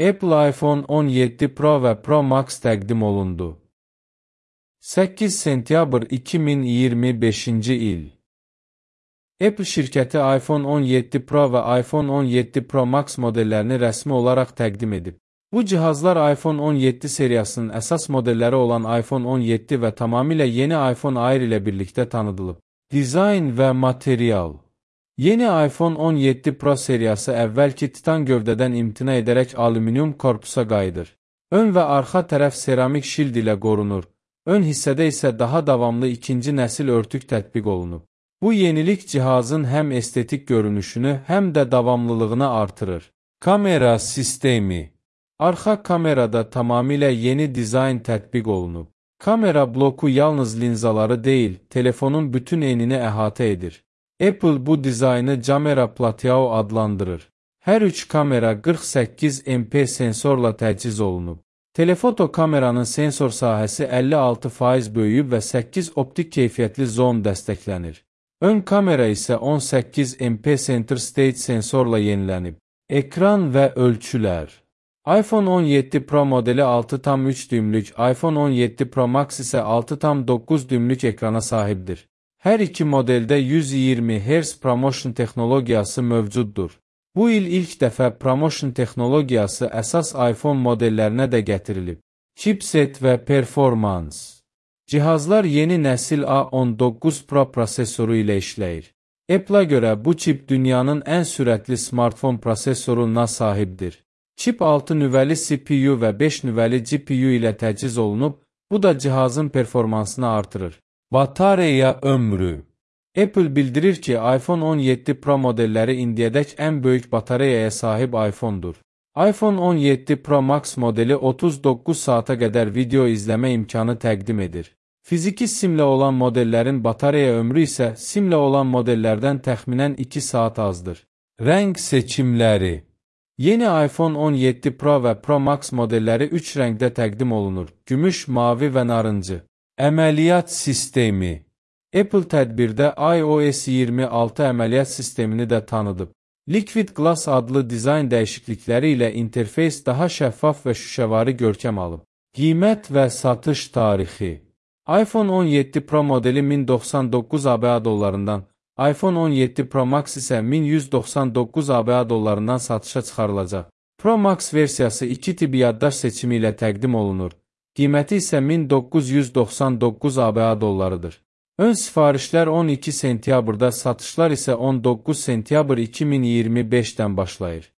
Apple iPhone 17 Pro və Pro Max təqdim olundu. 8 sentyabr 2025-ci il. Apple şirkəti iPhone 17 Pro və iPhone 17 Pro Max modellərini rəsmi olaraq təqdim edib. Bu cihazlar iPhone 17 seriyasının əsas modelləri olan iPhone 17 və tamamilə yeni iPhone Air ilə birlikdə tanıdılıb. Dizayn və material. Yeni iPhone 17 Pro seriyası əvvəlki titan gövdədən imtina edərək alüminium korpusa qayıdır. Ön və arxa tərəf seramik şild ilə qorunur. Ön hissədə isə daha davamlı ikinci nəsil örtük tətbiq olunub. Bu yenilik cihazın həm estetik görünüşünü, həm də davamlılığını artırır. Kamera sistemi. Arxa kamerada tamamilə yeni dizayn tətbiq olunub. Kamera bloku yalnız linzaları deyil, telefonun bütün enini əhatə edir. Apple bu dizaynı Camera Platao adlandırır. Hər üç kamera 48 MP sensorla təchiz olunub. Telefoto kameranın sensor sahəsi 56% böyüyüb və 8 optik keyfiyyətli zoom dəstəklənir. Ön kamera isə 18 MP Center Stage sensorla yenilənib. Ekran və ölçülər. iPhone 17 Pro modeli 6,3 düymlük, iPhone 17 Pro Max isə 6,9 düymlük ekrana sahibdir. Hər iki modeldə 120 Hz ProMotion texnologiyası mövcuddur. Bu il ilk dəfə ProMotion texnologiyası əsas iPhone modellərinə də gətirilib. Chipset və performans. Cihazlar yeni nəsil A19 Pro prosesoru ilə işləyir. Apple-a görə bu çip dünyanın ən sürətli smartfon prosesoruna sahibdir. Çip 6 nüvəli CPU və 5 nüvəli GPU ilə təchiz olunub, bu da cihazın performansını artırır. Batareya ömrü. Apple bildirir ki, iPhone 17 Pro modelləri indiyədək ən böyük batareyaya sahib iPhone-dur. iPhone 17 Pro Max modeli 39 saata qədər video izləmə imkanı təqdim edir. Fiziki simlə olan modellərin batareya ömrü isə simlə olan modellərdən təxminən 2 saat azdır. Rəng seçimləri. Yeni iPhone 17 Pro və Pro Max modelləri 3 rəngdə təqdim olunur: gümüş, mavi və narıncı. Əməliyyat sistemi. Apple tədbirdə iOS 26 əməliyyat sistemini də tanıdıb. Liquid Glass adlı dizayn dəyişiklikləri ilə interfeys daha şəffaf və şüşəvari görkəm alıb. Qiymət və satış tarixi. iPhone 17 Pro modeli 1099 ABA dollarından, iPhone 17 Pro Max isə 1199 ABA dollarından satışa çıxarılacaq. Pro Max versiyası 2 tip yaddaş seçimi ilə təqdim olunur. Qiyməti isə 1999 ABA dollarıdır. Ön sifarişlər 12 sentyabrda, satışlar isə 19 sentyabr 2025-dən başlayır.